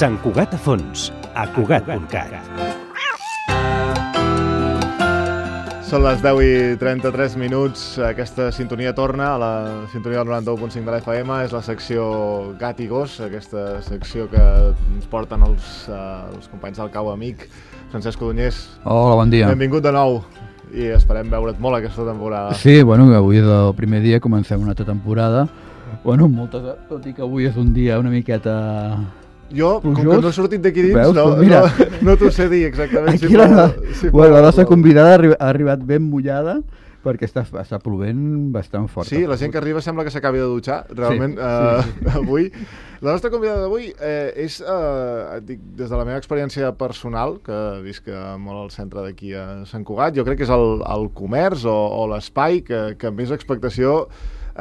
Sant Cugat a fons, a Cugat.cat. Són les 10:33, aquesta sintonia torna a la sintonia del 91.5 de l'FM, és la secció Gat i Gos, aquesta secció que ens porten els companys del Cau Amic. Francesc Codonyés, hola, bon dia. Benvingut de nou i esperem veure't molt aquesta temporada. Sí, bueno, avui és el primer dia, comencem una altra temporada. Bueno, tot i que avui és un dia una miqueta... Jo, plujós, com que no he sortit d'aquí dins, veus? no t'ho sé dir exactament. Aquí la nostra convidada ha arribat ben mullada perquè està plovent bastant fort. Sí, la gent que arriba sembla que s'acabi de dutxar, realment, sí. Avui. La nostra convidada d'avui és, dic, des de la meva experiència personal, que visc molt al centre d'aquí a Sant Cugat, jo crec que és el comerç o l'espai que més expectació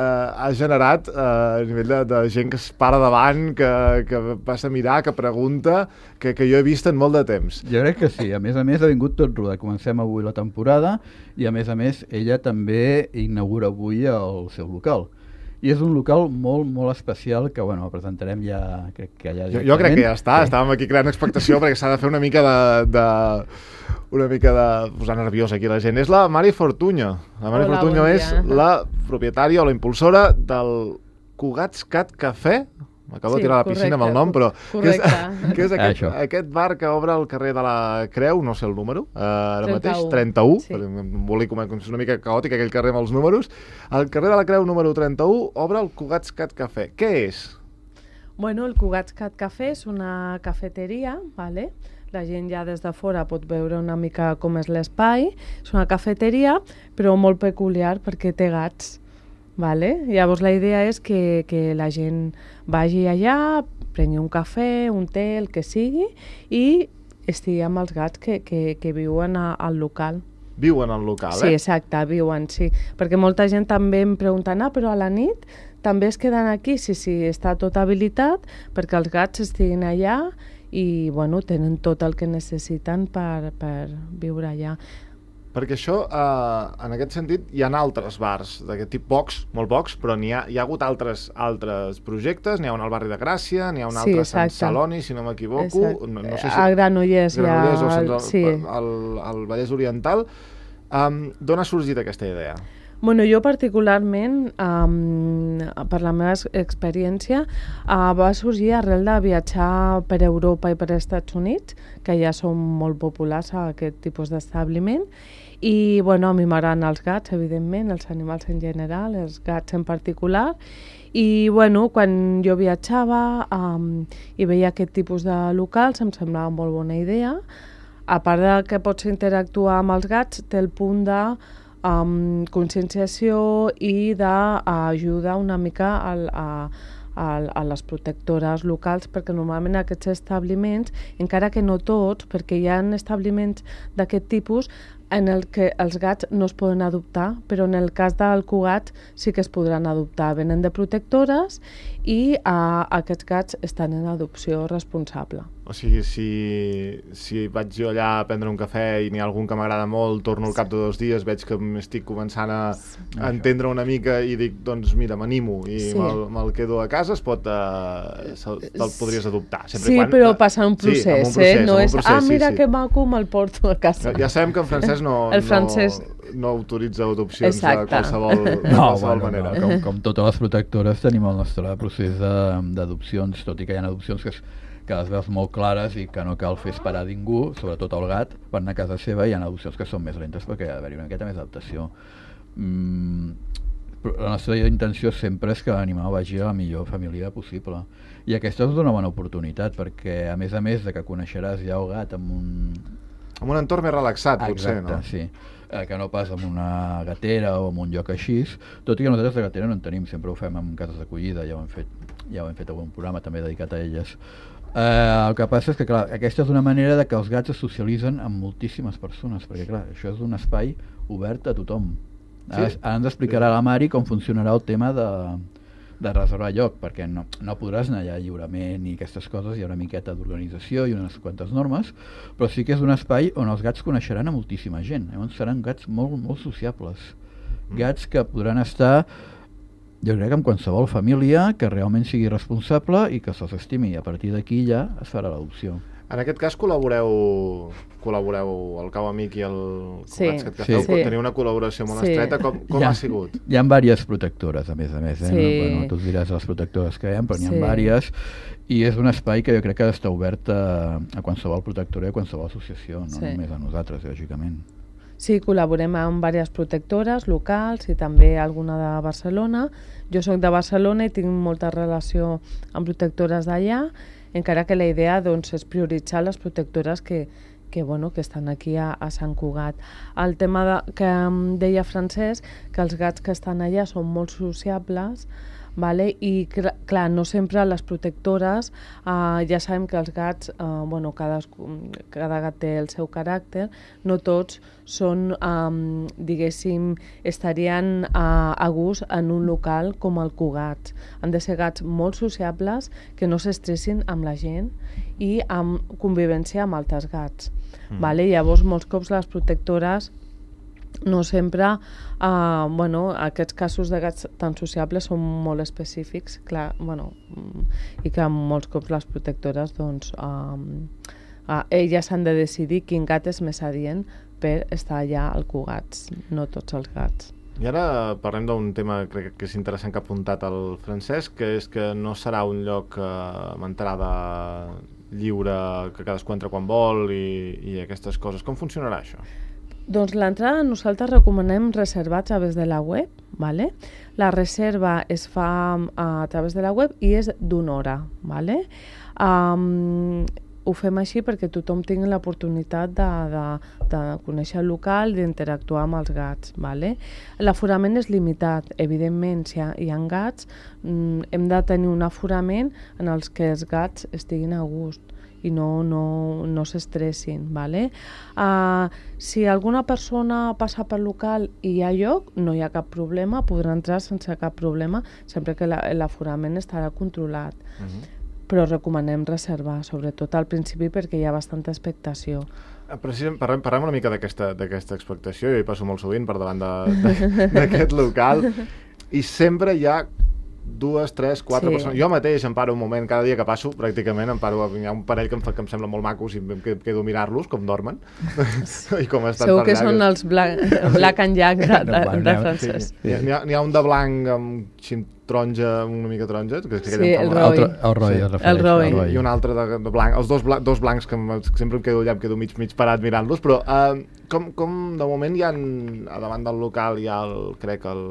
ha generat a nivell de gent que es para davant, que passa a mirar, que pregunta, que jo he vist en molt de temps. Jo crec que sí, a més ha vingut tot rodat. Comencem avui la temporada i a més ella també inaugura avui el seu local. I és un local molt, molt especial que, bueno, el presentarem ja, crec que ja... Jo crec que ja està, sí. Estàvem aquí creant expectació perquè s'ha de fer una mica de posar nerviosa aquí la gent. És la Mari Fortuño. La Mari Fortuño és la propietària o la impulsora del Cugat.cat Cafè. M'acabo de tirar a la piscina amb el nom, però que és aquest bar que obre al carrer de la Creu, no sé el número, ara mateix, 31, sí. És una mica caòtic aquell carrer amb els números. Al carrer de la Creu número 31 obre el Cugat.cat Cafè. Què és? Bueno, el Cugat.cat Cafè és una cafeteria, ¿vale? La gent ja des de fora pot veure una mica com és l'espai. És una cafeteria, però molt peculiar perquè té gats. Vale? Llavors la idea és que la gent vagi allà, prengui un cafè, un té, el que sigui, i estigui amb els gats que viuen al local. Viuen al local, Sí, exacte, viuen, sí. Perquè molta gent també em pregunta, però a la nit també es queden aquí? Sí, està tot habilitat perquè els gats estiguin allà i bueno, tenen tot el que necessiten per viure allà. Perquè això, en aquest sentit, hi ha altres bars d'aquest tipus, pocs, molt pocs, però hi ha hagut altres projectes, n'hi ha un al barri de Gràcia, n'hi ha un altre a Sant Celoni, si no m'equivoco, no sé si... A Granollers hi ha... al Vallès Oriental. D'on ha sorgit aquesta idea? Bueno, jo particularment, per la meva experiència, va sorgir arrel de viatjar per Europa i per Estats Units, que ja són molt populars a aquest tipus d'establiment, i bueno, a mi m'agraden els gats, evidentment, els animals en general, els gats en particular, i bueno, quan jo viatjava i veia aquest tipus de locals em semblava molt bona idea. A part de que pots interactuar amb els gats, té el punt de conscienciació i d'ajuda una mica a les protectores locals, perquè normalment aquests establiments, encara que no tots, perquè hi ha establiments d'aquest tipus en el que els gats no es poden adoptar, però en el cas del Cugat sí que es podran adoptar. Venen de protectores i aquests gats estan en adopció responsable. O sigui, si vaig jo allà a prendre un cafè i n'hi ha algun que m'agrada molt, torno al cap de 2 dies, veig que m'estic començant a entendre una mica i dic, doncs mira, m'animo i me'l quedo a casa, te'l podries adoptar. Però passa un procés, no és, mira que maco, me'l porto a casa. Ja sabem que en francès no autoritza adopcions de qualsevol manera. Com totes les protectores tenim el nostre procés d'adopcions, tot i que hi ha adopcions que les veus molt clares i que no cal fer esperar ningú, sobretot el gat, per anar a casa seva. Hi ha adopcions que són més lentes perquè ha d'haver-hi una miqueta més adaptació. La nostra intenció sempre és que l'animal vagi a la millor família possible. I aquesta és una bona oportunitat perquè, a més de que coneixeràs ja el gat amb un entorn més relaxat, potser, no? Sí. Que no pas en una gatera o en un lloc així, tot i que nosaltres de gatera no en tenim, sempre ho fem en cases d'acollida, ja ho hem fet algun programa també dedicat a elles. El que passa és que, clar, aquesta és una manera de que els gats es socialitzen amb moltíssimes persones, perquè, clar, això és un espai obert a tothom. Ara ens explicarà la Mari com funcionarà el tema de reservar lloc, perquè no podràs anar allà lliurement i aquestes coses, hi ha una miqueta d'organització i unes quantes normes, però sí que és un espai on els gats coneixeran a moltíssima gent. Llavors seran gats molt, molt sociables. Gats que podran estar jo crec que amb qualsevol família que realment sigui responsable i que se'ls estimi, i a partir d'aquí ja es farà l'adopció. En aquest cas col·laboreu el Cau Amic i el Cogats que feu, teniu una col·laboració molt estreta, com ha sigut? Hi ha diverses protectores, a més, Sí. Bueno, tu diràs les protectores que hi ha, però n'hi ha diverses, i és un espai que jo crec que ha d'estar obert a qualsevol protectora i a qualsevol associació, no només a nosaltres, lògicament. Sí, col·laborem amb diverses protectores locals i també alguna de Barcelona. Jo soc de Barcelona i tinc molta relació amb protectores d'allà, encara que la idea doncs, és prioritzar les protectores que estan aquí a Sant Cugat. El tema que em deia Francesc, que els gats que estan allà són molt sociables, vale? I clar, no sempre les protectores, ja sabem que els gats, cada gat té el seu caràcter, no tots són, diguéssim, estarien a gust en un local com el Cugat. Han de ser gats molt sociables, que no s'estressin amb la gent i amb convivència amb altres gats. Vale? Llavors, molts cops les protectores no sempre, aquests casos de gats tan sociables són molt específics, clar, i que molts cops les protectores, doncs, elles han de decidir quin gat és més adient per estar allà al Cugats, no tots els gats. I ara parlem d'un tema que crec que és interessant que ha apuntat el Francesc, que és que no serà un lloc amb entrada lliure, que cadascú entra quan vol i aquestes coses. Com funcionarà això? Doncs l'entrada nosaltres recomanem reservar a través de la web, ¿vale? La reserva es fa a través de la web i és d'una hora, ¿vale? Ho fem així perquè tothom tingui l'oportunitat de conèixer el local, d'interactuar amb els gats, ¿vale? L'aforament és limitat, evidentment, si hi ha gats, hem de tenir un aforament en els que els gats estiguin a gust i no s'estressin, ¿vale? Si alguna persona passa pel local i hi ha lloc, no hi ha cap problema, podrà entrar sense cap problema, sempre que l'aforament estarà controlat. Però recomanem reservar, sobretot al principi, perquè hi ha bastanta expectació. Parlem una mica d'aquesta expectació. Jo hi passo molt sovint per davant d'aquest local i sempre hi ha 2, 3, 4 persones. Jo mateix em paro un moment, cada dia que passo, pràcticament, hi ha un parell que em sembla molt macos i em quedo a mirar-los, com dormen. I com estan segur que són els Black and Jack de Francesc. N'hi ha un de blanc amb taronja, una mica taronja. Sí, el Roy. El Roy. I un altre de blanc. Els dos blancs que sempre em quedo allà, em quedo mig parat mirant-los, però com de moment hi ha, a davant del local hi ha crec el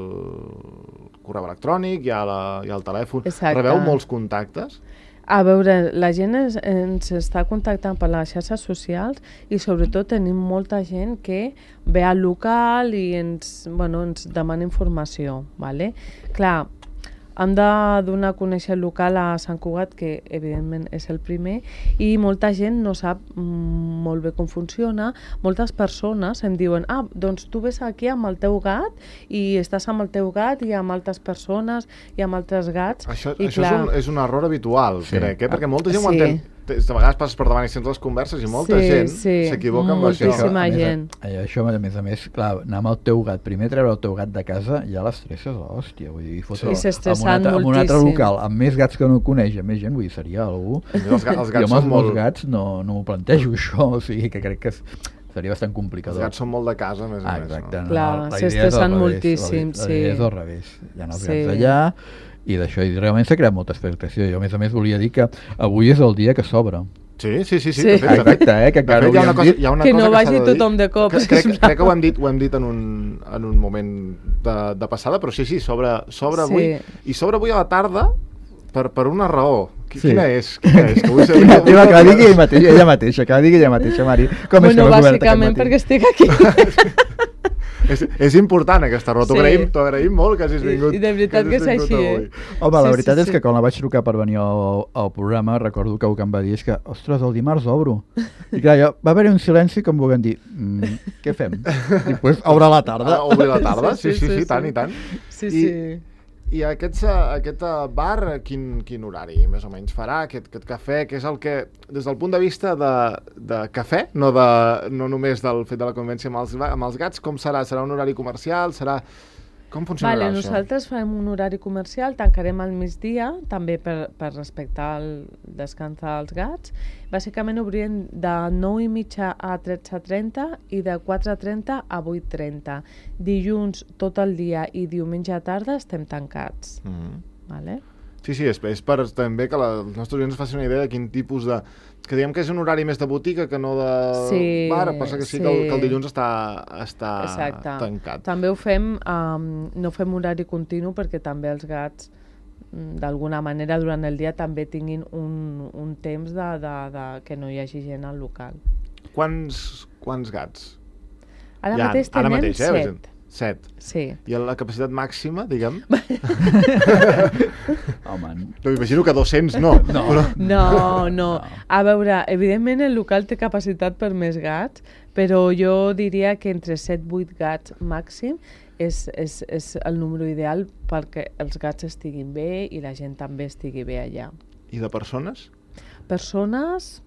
correu electrònic, hi ha el telèfon. Exacte. Rebeu molts contactes? A veure, la gent ens està contactant per les xarxes socials i sobretot tenim molta gent que ve al local i ens demana informació, ¿vale? Clar, hem de donar a conèixer el local a Sant Cugat, que evidentment és el primer, i molta gent no sap molt bé com funciona. Moltes persones em diuen, doncs tu ves aquí amb el teu gat i estàs amb el teu gat i amb altres persones i amb altres gats. Això és un error habitual, crec, perquè molta gent ho entén. A vegades passes per davant i sents les converses i molta gent s'equivoca amb això. Moltíssima gent. Això, a més, clar, anar amb el teu gat, primer treure el teu gat de casa, ja l'estresses, hòstia, vull dir, s'estressant moltíssim. En un altre local, amb més gats que no coneix, amb més gent, vull dir, seria algú. Els gats jo amb els gats no m'ho plantejo, això, o sigui, que crec que seria bastant complicador. Els gats són molt de casa, a més a més. Exacte. Clar, s'estressen moltíssim, sí. La idea és al revés. Hi ha els gats allà, i d'això, i realment s'ha creat molta expectació. Jo, a més, volia dir que avui és el dia que s'obre. Sí. Exacte, que encara hi ha una cosa que no vagi tothom de cop. Crec que ho hem dit en un moment de passada, però sí, s'obre avui. I s'obre avui a la tarda per una raó. Quina és? Que la digui ella mateixa, Mari. Com és que no has obert aquest matí? Bàsicament perquè estic aquí. És important aquesta raó, t'ho agraïm molt que hagis vingut. I de veritat que és així, Home, la veritat és que quan la vaig trucar per venir al programa, recordo que el que em va dir és que, ostres, el dimarts obro. I clar, va haver-hi un silenci com volent dir, què fem? I després obre a la tarda. Obrir a la tarda? Sí, tant i tant. Sí. I aquest bar, quin horari més o menys farà, aquest cafè, que és el que, des del punt de vista de cafè, no només del fet de la convivència amb els gats, com serà? Serà un horari comercial? Com funcionarà això? Nosaltres farem un horari comercial, tancarem al migdia, també per respectar el descans dels gats. Bàsicament obrirem de 9:30 a 13:30 i de 4:30 a 8:30. Dilluns tot el dia i diumenge a tarda estem tancats. Vale? Sí, és per també que els nostres oients facin una idea de quin tipus de... Que diguem que és un horari més de botiga que no de bar, passa que que el dilluns està tancat. També ho fem, no fem horari continu perquè també els gats d'alguna manera durant el dia també tinguin un temps que no hi hagi gent al local. Quants gats? Ara mateix tenem 7. 7. Sí. I la capacitat màxima, diguem? Home, no, m'imagino que 200 no. No. A veure, evidentment el local té capacitat per més gats, però jo diria que entre 7-8 gats màxim és el número ideal perquè els gats estiguin bé i la gent també estigui bé allà. I de persones? Persones,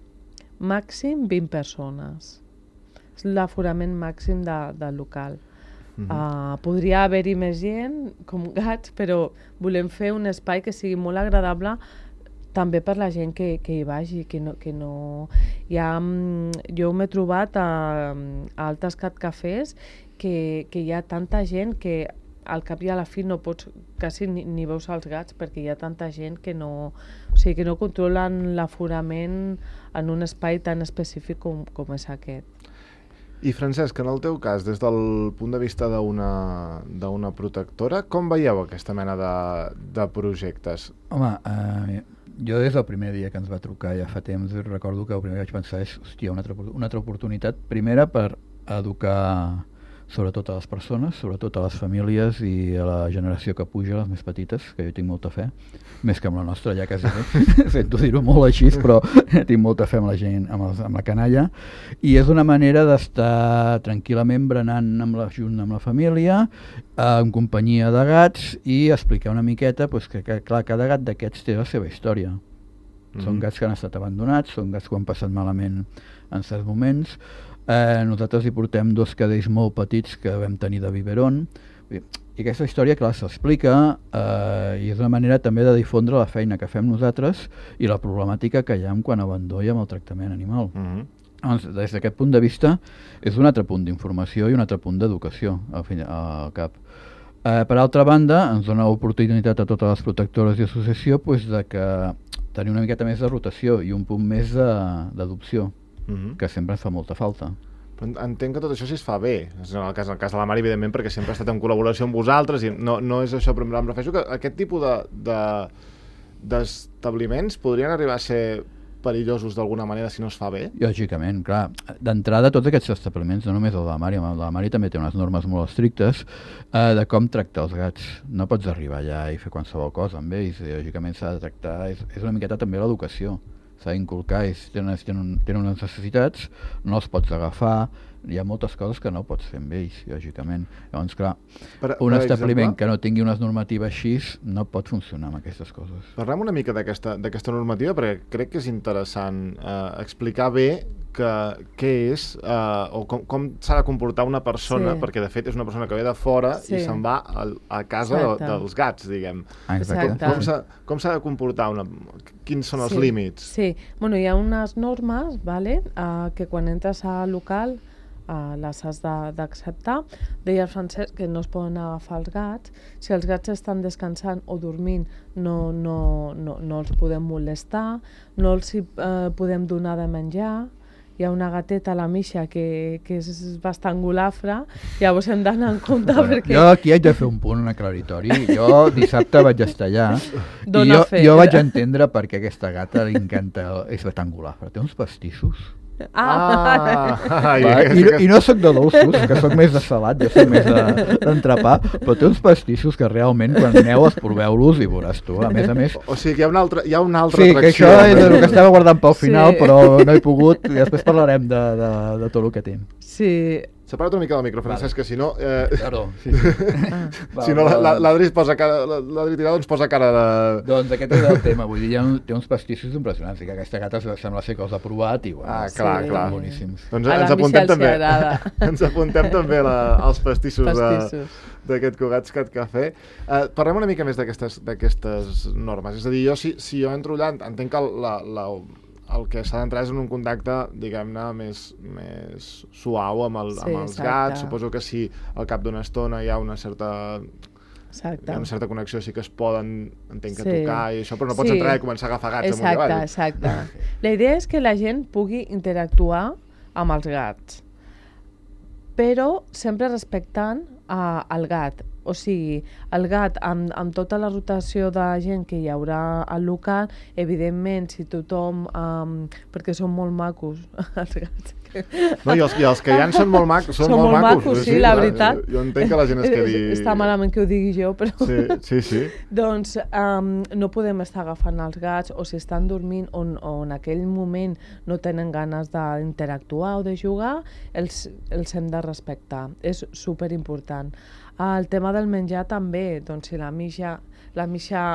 màxim 20 persones. És l'aforament màxim del local. Podria haver-hi més gent com gats, però volem fer un espai que sigui molt agradable també per la gent que hi vagi, que no... Jo m'he trobat a altres catcafès que hi ha tanta gent que al cap i a la fi no pots quasi ni veus els gats perquè hi ha tanta gent que no controlen l'aforament en un espai tan específic com és aquest. I Francesc, en el teu cas, des del punt de vista d'una protectora, com veieu aquesta mena de projectes? Home, jo des del primer dia que ens va trucar ja fa temps recordo que el primer que vaig pensar és hòstia, una altra oportunitat, primera per educar sobretot a les persones, sobretot a les famílies i a la generació que puja, les més petites, que jo tinc molta fe, més que amb la nostra ja quasi bé, sento dir-ho molt així, però tinc molta fe amb la gent, amb la canalla, i és una manera d'estar tranquil·lament berenant junt amb la família, en companyia de gats, i explicar una miqueta que clar, cada gat d'aquests té la seva història. Són gats que han estat abandonats, són gats que ho han passat malament en certs moments. Nosaltres hi portem 2 cadells molt petits que vam tenir de biberon, i aquesta història, clar, s'explica i és una manera també de difondre la feina que fem nosaltres i la problemàtica que hi ha en quant a abandó i amb el tractament animal. Doncs, des d'aquest punt de vista és un altre punt d'informació i un altre punt d'educació al cap. Per altra banda, ens dona l'oportunitat a totes les protectores i associació de tenir una miqueta més de rotació i un punt més d'adopció, que sempre ens fa molta falta. Però entenc que tot això sí es fa bé, en el cas de la Mari, evidentment, perquè sempre ha estat en col·laboració amb vosaltres i no és això, però em refereixo que aquest tipus d'establiments podrien arribar a ser perillosos d'alguna manera si no es fa bé? Lògicament, clar. D'entrada, tots aquests establiments, no només el de la Mari, el de la Mari també té unes normes molt estrictes de com tractar els gats. No pots arribar allà i fer qualsevol cosa amb ells, lògicament s'ha de tractar, és una miqueta també l'educació. S'ha d'inculcar, tenen unes necessitats, no els pots agafar, hi ha moltes coses que no pots fer amb ells, lògicament. Llavors, clar, un establiment que no tingui unes normatives així no pot funcionar amb aquestes coses. Parlem una mica d'aquesta normativa, perquè crec que és interessant explicar bé què és o com s'ha de comportar una persona, perquè de fet és una persona que ve de fora i se'n va a casa dels gats, diguem. Com s'ha de comportar? Quins són els límits? Sí, hi ha unes normes que quan entres al local les has d'acceptar. Deia el Francesc que no es poden agafar els gats. Si els gats estan descansant o dormint no els podem molestar, no els podem donar de menjar. Hi ha una gateta, la Misha, que és bastant golafra, llavors hem d'anar en compte perquè... Jo aquí haig de fer un punt aclaritori. Jo dissabte vaig estar allà i jo vaig entendre per què aquesta gata li encanta, és bastant golafra. Té uns pastissos. I no sóc de dolços, que sóc més de salat, jo sóc més d'entrepà, però té uns pastissos que realment quan aneu proveu-los i veuràs tu, a més. O sigui que hi ha una altra atracció. Sí, que això és el que estava guardant pel final, però no he pogut, i després parlarem de tot el que tinc. Sí. Separa't una mica del micro, Francesc, que si no... Perdó, sí. Si no, l'Adri Tirado ens posa cara de... Doncs aquest és el tema, vull dir, té uns pastissos impressionants, que aquesta gata sembla ser que els ha provat i, bueno, clar. estan boníssims. Doncs ens apuntem també als pastissos d'aquest Cugat's Cat Café. Parlem una mica més d'aquestes normes. És a dir, jo si jo entro allà, entenc que el que s'ha d'entrar és en un contacte, diguem-ne, més suau amb els gats. Suposo que si al cap d'una estona hi ha una certa connexió, sí que es poden, entenc que tocar i això, però no pots entrar i començar a agafar gats amunt i avall. Exacte. La idea és que la gent pugui interactuar amb els gats, però sempre respectant el gat. O sigui, el gat, amb tota la rotació de gent que hi haurà al local, evidentment, si tothom... perquè són molt macos, els gats. No, i els que hi ha són molt macos. Són molt macos, sí, la veritat. Jo entenc que la gent es quedi... Està malament que ho digui jo, però... Sí. Doncs no podem estar agafant els gats, o si estan dormint o en aquell moment no tenen ganes d'interactuar o de jugar, els hem de respectar. És superimportant. El tema del menjar també, doncs si la Misha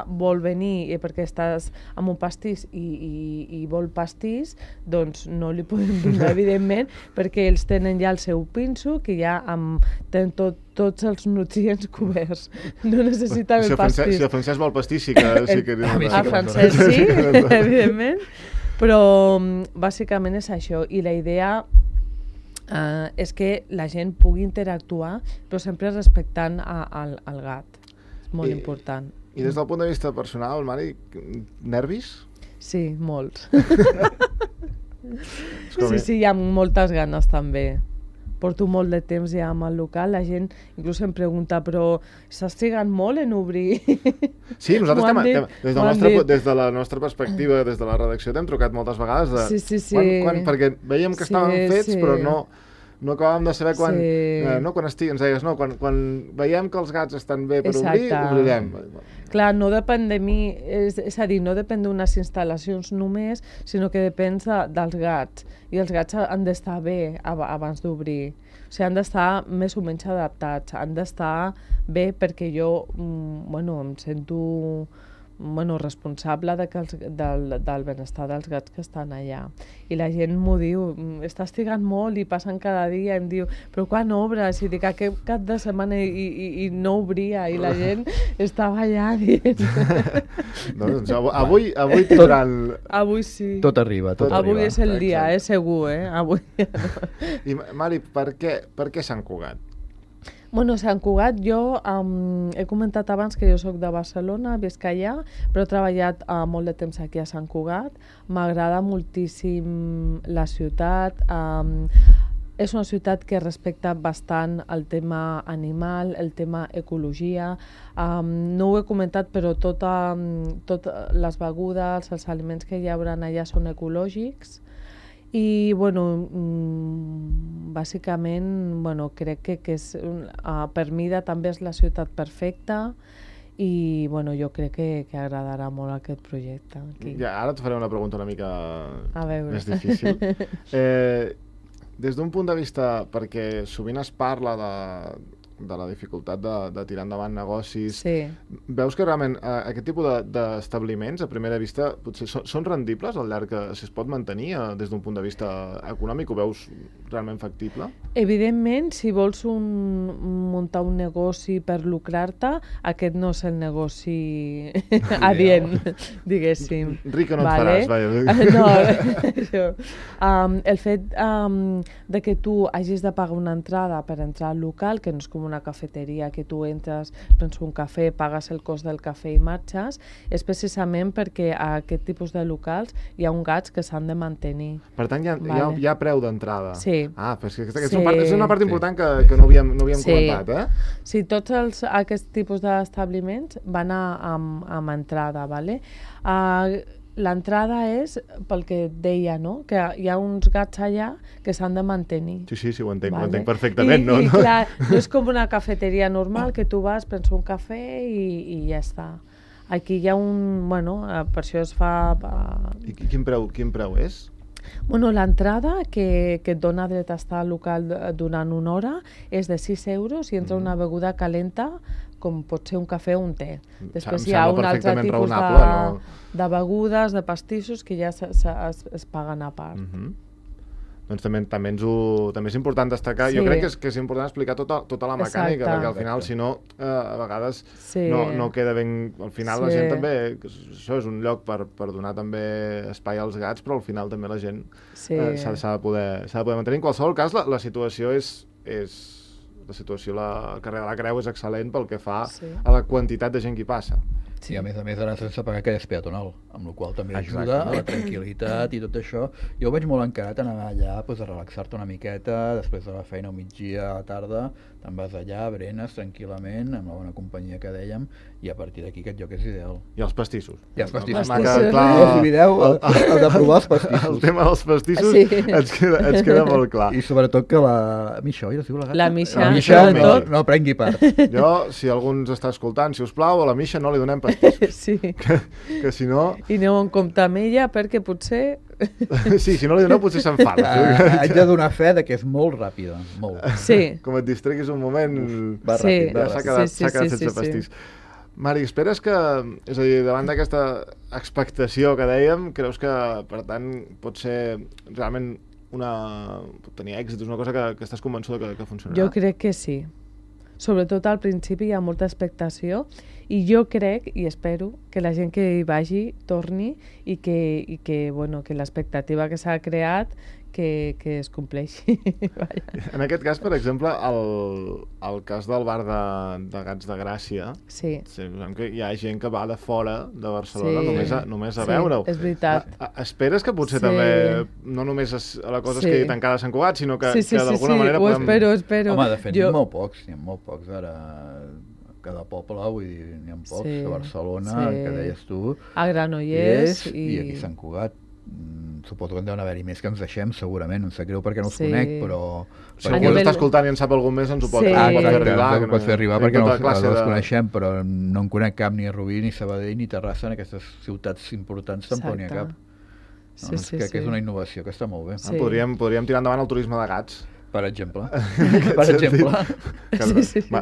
vol venir perquè estàs amb un pastís i vol pastís, doncs no li podem donar, evidentment, perquè ells tenen ja el seu pinso, que ja tenen tots els nutrients coberts. No necessita el pastís. Si el Francesc vol pastís, sí que... El Francesc sí, evidentment, però bàsicament és això. I la idea... és que la gent pugui interactuar, però sempre respectant el gat. És molt important. I des del punt de vista personal, Mari, nervis? Sí, molts. Sí, hi ha moltes ganes també. Porto molt de temps ja amb el local, la gent inclús em pregunta, però s'has trigat molt en obrir? Sí, nosaltres des de la nostra perspectiva, des de la redacció, t'hem trucat moltes vegades perquè veiem que estaven fets, però no acabàvem de saber quan... Ens deies, quan veiem que els gats estan bé per obrir, obrirem. Clar, no depèn de mi, és a dir, no depèn d'unes instal·lacions només, sinó que depèn dels gats. I els gats han d'estar bé abans d'obrir. O sigui, han d'estar més o menys adaptats, han d'estar bé perquè jo em sento responsable del benestar dels gats que estan allà. I la gent m'ho diu, estàs trigant molt i passen cada dia, em diu, però quan obres? I dic, aquest cap de setmana i no obria, i la gent estava allà dient... Doncs avui tindran... Avui sí. Tot arriba. Avui és el dia, segur, avui. I Mari, per què Sant Cugat? Bueno, Sant Cugat, jo he comentat abans que jo soc de Barcelona, visc allà, però he treballat molt de temps aquí a Sant Cugat. M'agrada moltíssim la ciutat. És una ciutat que respecta bastant el tema animal, el tema ecologia. No ho he comentat, però totes les begudes, els aliments que hi haurà allà són ecològics. I, bàsicament, crec que és, per mida també és la ciutat perfecta i, jo crec que agradarà molt aquest projecte. Aquí. Ja, ara et faré una pregunta una mica més difícil. Des d'un punt de vista, perquè sovint es parla de la dificultat de tirar endavant negocis, veus que realment aquest tipus d'establiments, a primera vista, potser són rendibles al llarg que si es pot mantenir des d'un punt de vista econòmic? Ho veus realment factible? Evidentment, si vols muntar un negoci per lucrar-te, aquest no és el negoci adient, diguéssim. Rica no et faràs, vaja. No, el fet de que tu hagis de pagar una entrada per entrar al local, que no és com una cafeteria, que tu entres, prens un cafè, pagues el cost del cafè i marxes, és precisament perquè a aquest tipus de locals hi ha gats que s'han de mantenir. Per tant, hi ha preu d'entrada. Sí. Però és una part important que no havíem comentat, eh? Sí, tots aquests tipus d'establiments van amb entrada, ¿vale? L'entrada és pel que et deia, no? Que hi ha uns gats allà que s'han de mantenir. Sí, ho entenc perfectament. I clar, no és com una cafeteria normal que tu vas, prens un cafè i ja està. Aquí hi ha per això es fa... I quin preu és? Bueno, l'entrada que et dona dret a estar al local durant una hora és de 6 euros i entra una beguda calenta com pot ser un cafè o un te. Després hi ha un altre tipus de begudes, de pastissos que ja es paguen a part. Doncs també és important destacar, jo crec que és important explicar tota la mecànica, perquè al final, si no, a vegades no queda ben... Al final la gent també... Això és un lloc per donar també espai als gats, però al final també la gent s'ha de poder mantenir. En qualsevol cas, la situació la situació al carrer de la Creu és excel·lent pel que fa a la quantitat de gent que hi passa. Sí, a més ara sense pagar que és peatonal, amb la qual també ajuda a la tranquil·litat i tot això. Jo ho veig molt encarat anar allà a relaxar-te una miqueta, després de la feina al migdia, a la tarda, te'n vas allà, berenes tranquil·lament, amb la bona companyia que dèiem, i a partir d'aquí aquest lloc és ideal. I els pastissos. I els pastissos. Si mireu, heu de provar els pastissos. El tema dels pastissos ens queda molt clar. I sobretot que la Misha, oi? La Misha no prengui part. Jo, si algú ens està escoltant, si us plau, a la Misha no li donem pastissos. Sí. Que si no... I aneu en compte amb ella perquè potser... Sí, si no li doneu potser s'enfada. Haig de donar fe que és molt ràpida, molt. Sí. Com et distreguis un moment, ràpid. Ja s'ha quedat sense pastís. Mari, esperes que, és a dir, davant d'aquesta expectació que dèiem, creus que, per tant, pot ser realment pot tenir èxit, és una cosa que estàs convençuda que funcionarà? Jo crec que sí. Sobretot al principi hi ha molta expectació i jo crec i espero que la gent que hi vagi torni i que l'expectativa que s'ha creat que es compleixi. En aquest cas, per exemple, el cas del bar de Gats de Gràcia, sabem que hi ha gent que va de fora de Barcelona només a veure-ho. Sí, és veritat. Esperes que potser també no només la cosa es quedi tancada a Sant Cugat, sinó que d'alguna manera podem... ho espero. Home, de fet, n'hi ha molt pocs ara. Cada poble, vull dir, n'hi ha pocs, a Barcelona, que deies tu, a Granollers i aquí a Sant Cugat. Suposo que en deuen haver-hi més que ens deixem, segurament, em sap greu perquè no els conec, però... Si algú està escoltant i en sap algun més, ens ho pot fer arribar. Perquè no els coneixem, però no en conec cap, ni a Rubí, ni Sabadell, ni Terrassa, en aquestes ciutats importants tampoc n'hi ha cap. Crec que és una innovació que està molt bé. Podríem tirar endavant el turisme de gats. Per exemple.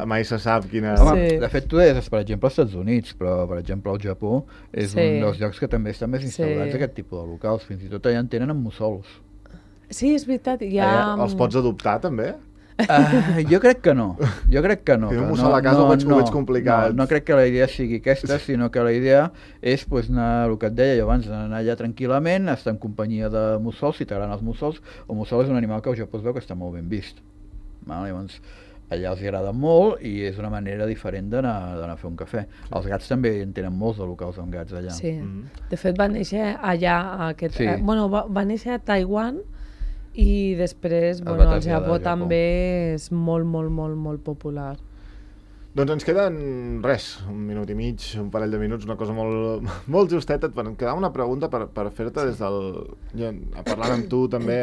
Mai se sap quina... De fet, tu deies, per exemple, als Estats Units, però, per exemple, al Japó és un dels llocs que també estan més instaurats aquest tipus de locals. Fins i tot allà en tenen amb mussols. Sí, és veritat. Els pots adoptar, també? Jo crec que no. Un mussol a casa ho veig complicat. No crec que la idea sigui aquesta, sinó que la idea és anar, el que et deia jo abans, anar allà tranquil·lament, estar en companyia de mussols, si t'agraden els mussols. El mussol és un animal que al Japó es veu que està molt ben vist. Llavors, allà els agrada molt i és una manera diferent d'anar a fer un cafè. Els gats també en tenen molts de locals amb gats allà. Sí, de fet va néixer allà, va néixer a Taiwan, i després, el Japó també és molt, molt, molt, molt popular. Doncs ens queden, un minut i mig, un parell de minuts, una cosa molt justeta. Em quedava una pregunta per fer-te des del... Parlant amb tu també,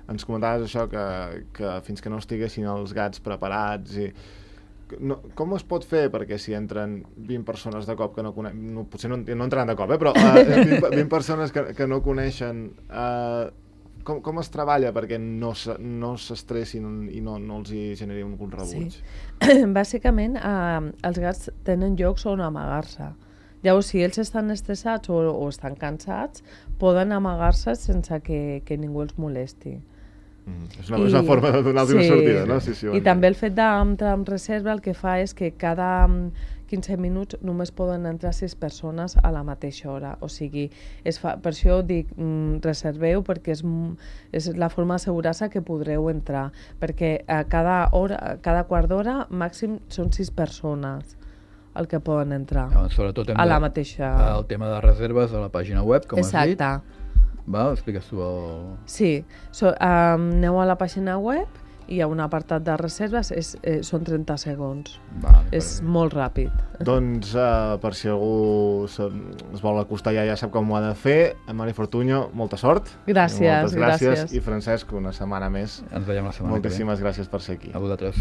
ens comentaves això, que fins que no estiguessin els gats preparats i... Com es pot fer perquè si entren 20 persones de cop que no coneixen... Potser no entraran de cop, però 20 persones que no coneixen... Com es treballa perquè no s'estressin i no els hi generi un rebuig? Sí. Bàsicament, els gats tenen llocs on amagar-se. Llavors, si ells estan estressats o estan cansats, poden amagar-se sense que ningú els molesti. És una forma de donar-los una sortida, no? I també el fet d'entrar en reserva el que fa és que cada 15 minuts només poden entrar 6 persones a la mateixa hora. O sigui, per això dic reserveu, perquè és la forma d'assegurar-se que podreu entrar. Perquè cada quart d'hora màxim són 6 persones el que poden entrar a la mateixa... El tema de reserves a la pàgina web, com has dit. Exacte. Expliques tu el... Sí, aneu a la pàgina web i hi ha un apartat de reserves, són 30 segons. És molt ràpid. Doncs per si algú es vol acostar ja sap com ho ha de fer. Mari Fortuño, molta sort. Gràcies. Moltes gràcies. I Francesc, una setmana més. Ens veiem la setmana que ve. Moltíssimes gràcies per ser aquí. A vosaltres.